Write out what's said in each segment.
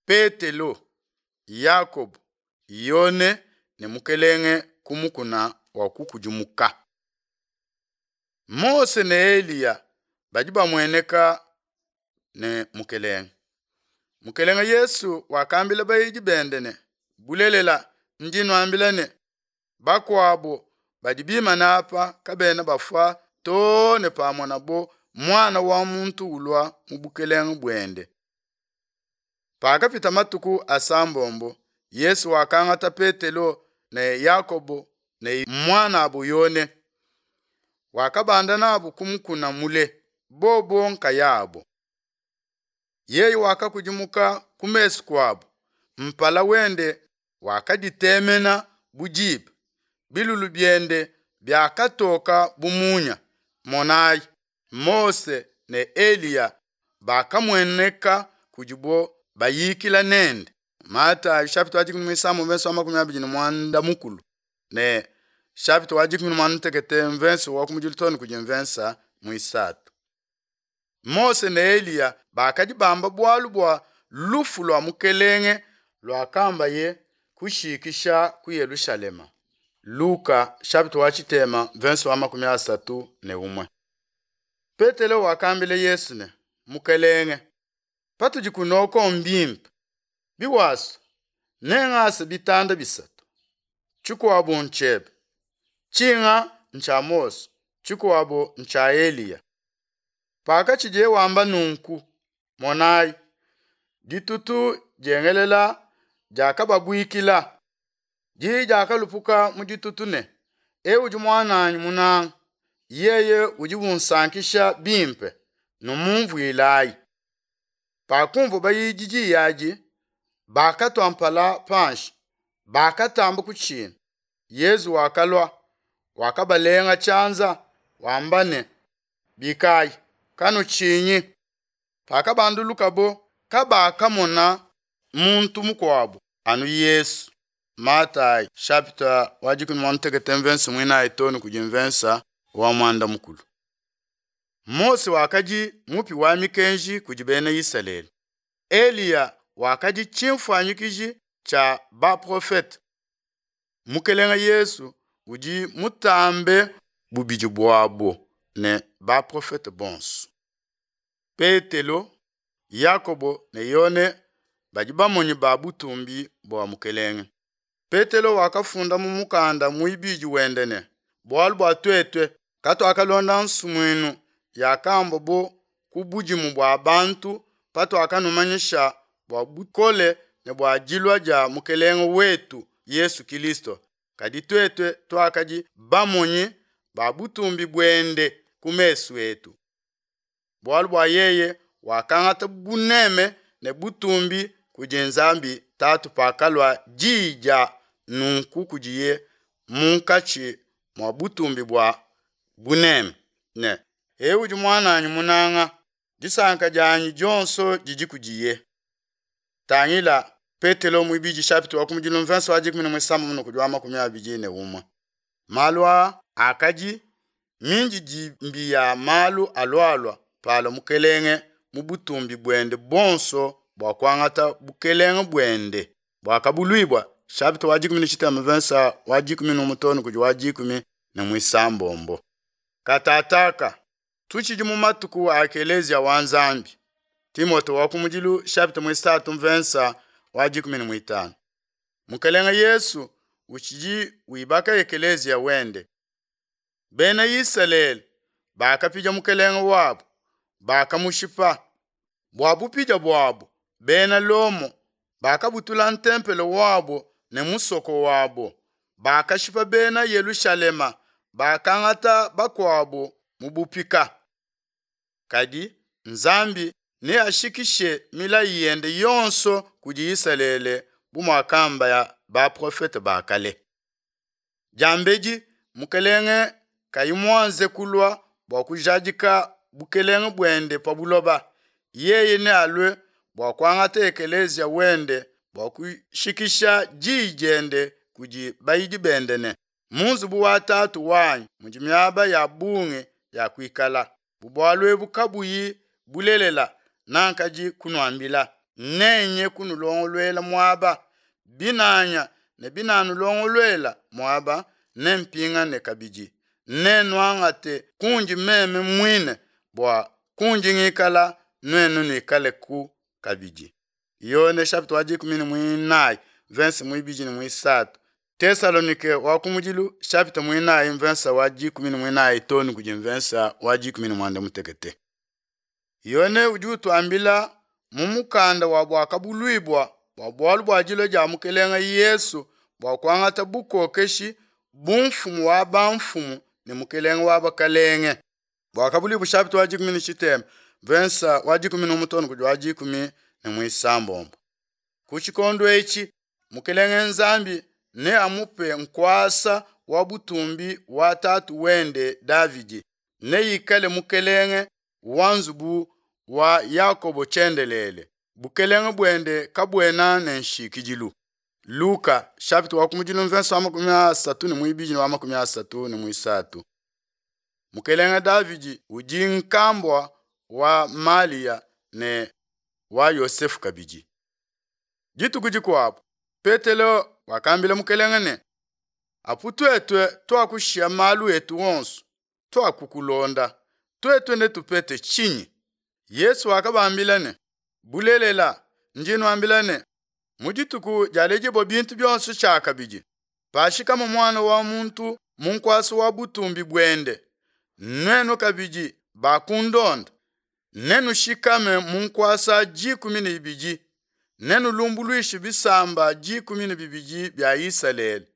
Petelo, Yakobo, Yone ne Mukelenge ku mukuna wa kukudimuka. Mose ne Eliya badi bamueneka ne Mukelenge. Mukelenge Yesu wakambila bayidi bende ne, Bulelela, ndi nuambila ne, bakuabo badi bimana apa kabena bafua too ne pamonabo Muana wa muntu ulua mu bukelenge buende. Pakapita matuku asambombo, Yesu wakangata Petelo ne Yakobo ne muanabo Yone, wakabanda nabo ku mukuna mule, bobo nkayabo. Yeye wakakudimuka ku mesu kuabo, mpala wende wakaditemena bu diba, bilulu biende biakatoka bu munya. Monayi, Mose ne Eliya bakamueneka kudibo bayikila nende. Matayo chapitre wa 13 verse wa 25 ne chapitre wa 18 verse wa kumudilu kudi mvensa muisatu. Mose ne Eliya bakadi bamba bualu bua lufu lua mukelenge luakambaye kushikisha ku Yelushalema. Luka chapitre wa tshitema verse wa 31. Petelo wakambila Yesu ne, Mukelenge, patudi kunoko mbimpe, biwasu nengase bitanda bisatu, tshikuabo ntshiebe, tshinga ntshia Mose, tshikuabo ntshia Eliya. Pakatshidiye wamba nunku, monayi, ditutu diengelela diakababuikila, diyi diakalupuka mu ditutu ne, Eu udi muananyi munanga, yeye udi unsankisha bimpe, numumvuilayi. Pakumvua bayidi diyi adi, bakatua mpala panshi, bakatamba kutshina. Yezu wakalua, wakabalenga tshianza, wamba ne, Bikayi, kanutshinyi. Pakabandulukabo, kabakamona muntu mukuabo anu Yesu. Matayi chapitre wa 18 verse muinayi too ne kudi mvensa wa muanda mukulu. Mose wakadi mupi wa mikenji kudi bena Isalele. Eliya wakadi tshimfuanyikiji tshia baprofete. Mukelenge Yesu udi mutambe bubidi buabo ne baprofete bonso. Petelo, Yakobo ne Yone badi bamonyi ba butumbi bua Mukelenge. Petelo wakafunda mu mukanda muibidi wende ne, bualu bua tuetu katuakalonda nsumuinu yakamba bo ku budimu bua bantu patuakanumanyisha bua bukole ne bua dilua dia Mukelenge wetu Yesu Kilisto, kadi tuetu tuakadi bamonyi ba butumbi buende ku mesu etu. Bualu bua yeye wakangata buneme ne butumbi kudi Nzambi Tatu pakalua diyi dia nunku kudiye munkatshi mua butumbi bua buneme ne, Eu udi muananyi munanga, disanka dianyi dionso didi kudiye. Tangila Petelo muibidi chapitre wa kumudilu mvenso wa 16 kudi wa 21. Malu aa akadi mindidimbi ya malu alualua palua Mukelenge mu butumbi buende buonso bua kuangata bukelenge buende buakabuluibua chapitre wa 15 verse wa 11 kudi wa 16. Katataka tutshidi mu matuku a ekelezia wa Nzambi. Timote wa kumudilu chapitre muisatu mvensa wa 15. Mukelenge Yesu utshidi wibaka ekelezia wende. Bena Isalele bakapidia mukelenge wabo, bakamushipa. Bua bupidia buabo, bena Lomo bakabutula ntempelo wabo ne musoko wabo, bakashipa bena Yelushalema, bakangata bakuabo mu bupika. Kadi Nzambi neashikishe milayi yende yonso kudi Isalele bu muakamba baprofete ba kale. Diambedi Mukelenge kayi muanze kulua bua kujadika bukelenge buende pa buloba, yeye nealue bua kuangata ekelezia wende bua kushikisha diyi diende kudi bayidi bende ne, mu nzubu wa Tatu wanyi mudi miaba ya bungi ya kuikala. Bu bualu ebu kabuyi bulelela, nankadi kunuambila. Nenye kunulongoluela muaba, binanya ne binanulongoluela muaba, nempingane kabidi, nennuangate kundi meme muine, bua kundi ngikala nuenu nuikaleku kabidi. Yone chapitre wa dikumi ne muinayi mvensa muibidi ne muisatu. Tesalonike wa kumudilu chapitre muinayi mvensa wa dikumi ne muinayi too ne kudi mvensa wa dikumi ne muanda mutekete. Yone udi utuambila mu mukanda wa Buakabuluibua bua bualu bua dilua dia Mukelenge Yesu bua kuangata bukokeshi bu mfumu wa bamfumu ne mukelenge wa bakalenge. Buakabuluibua chapitre wa dikumi ne tshitema mvensa wa dikumi ne umue too ne kudi wa dikumi ne muisambombo. Ku tshikondo etshi Mukelenge Nzambi neamupe nkuasa wa butumbi wa tatu wende Davidi, neikale mukelenge wa nzubu wa Yakobo tshiendelele, bukelenge buende kabuena ne nshikidilu. Luka chapitre wa kumudilu mvensa wa makumi asatu ne muibidi ne wa makumi asatu ne muisatu. Mukelenge Davidi udi nkambua wa Malia ne wa Yosefu kabidi. Dituku dikuabu Petelo wakambila Mukelenge ne, Apu tuetu tuakushiya malu etu onso, tuakukulonda, tuetu netupete tshinyi? Yesu wakabambila ne, Bulelela, ndi nuambila ne, mu dituku dialedibua bintu bionso tshiakabidi, pashikama Muana wa muntu mu nkuasa wa butumbi buende, nuenu kabidi bakundonda, nenushikame mu nkuasa dikumi ne ibidi, nenulumbuluishe bisamba dikumi ne bibidi bia Isalele.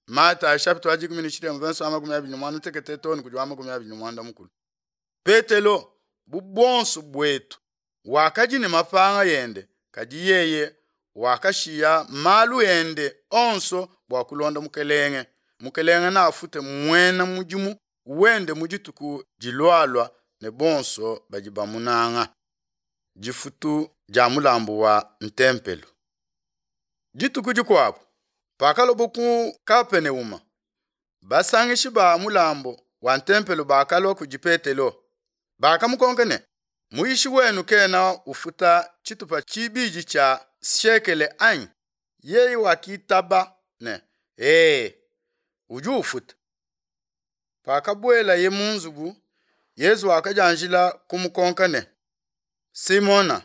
Matayi chapitre wa dikumi ne tshitema verse wa makumi abidi ne muanda mutekete too ne kudi wa makumi abidi ne muanda mukulu. Petelo, bu buonso buetu, wakadi ne mapanga ende, kadi yeye wakashiya malu ende onso bua kulonda Mukelenge. Mukelenge neafute muena mudimu wende mu dituku dilualua ne bonso badi bamunanga. Difutu dia mulambu wa ntempelo. Dituku dikuabu, pakalobo ku Kapeneuma, basangishi ba mulambu wa ntempelo bakalua kudi Petelo. Bakamukonka ne, Muyishi wenu kena ufuta tshitupa tshibidi tshia siekele anyi? Yeye wakitaba ne, Ee, udi ufuta. Pakabuelaye mu nzubu, Yezu wakadianjila kumukonka ne, Simona,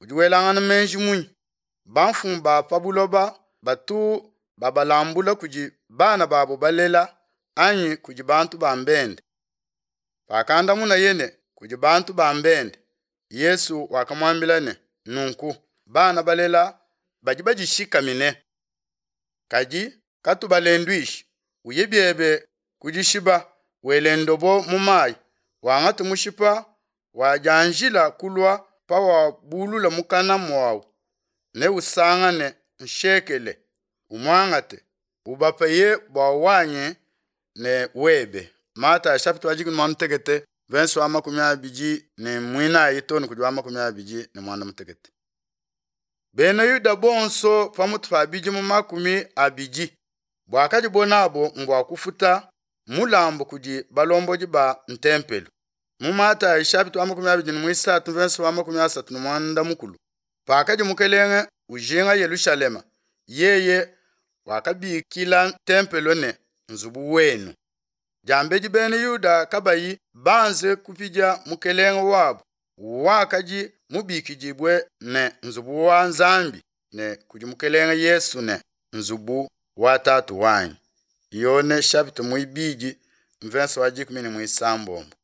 udi welangana meji munyi? Bamfumu ba pa buloba batu babalambula kudi bana babu balela anyi kudi bantu ba mbende? Pakandamunaye ne, kudi bantu ba mbende, Yezu wakamuambila ne, Nunku bana balela badi badishikamine. Kadi katubalenduishi, uye biebe ku dishiba, wele ndobo mu mayi, wangate mushipa wadianjila kulua pawabulula mukana muawu, neusangane nshekele, umuangate, ubapeye bua wanyi ne webe. Matayi chapitre wa dikumi muanda mutekete verse wa makumi abidi ne muinayi too ne kudi wa makumi abidi ne muanda mutekete. Bena Yuda bonso pamutu pa bidimu makumi abidi buakadibo nabo mbua kufuta mulambu kudi balombodi ba ntempelo. Mu Matayi chapitre wa makumi abidi ne muisatu verse wa makumi asatu ne muanda mukulu, pakadi Mukelenge ujinga Yelushalema, yeye wakabikila ntempelo ne nzubu wenu. Diambedi bena Yuda kabayi banze kupidia Mukelenge wabu, wakadi mubikidibue ne nzubu wa Nzambi ne kudi Mukelenge Yesu ne nzubu wa Tatu wanyi. Yone chapitre muibidi mvensa wa dikumi ne muisambombo.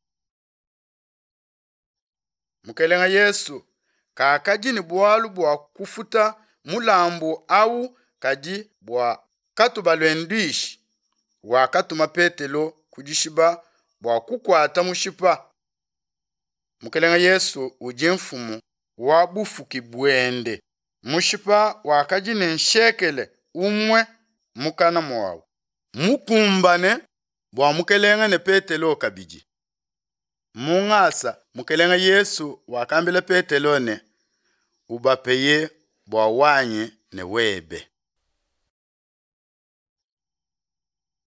Mukelenge Yesu kakadi ne bualu bua kufuta mulambu au, kadi bua katubalenduishi, wakatuma Petelo ku dishiba bua kukuata mushipa. Mukelenge Yesu udi mfumu wa bufuki buende. Mushipa wakadi ne nshekele umue mukana muawu, mukumbane bua Mukelenge ne Petelo kabidi. Mu ngasa Mukelenge Yesu wakambila Petelo ne, Ubapeye bua wanyi ne webe.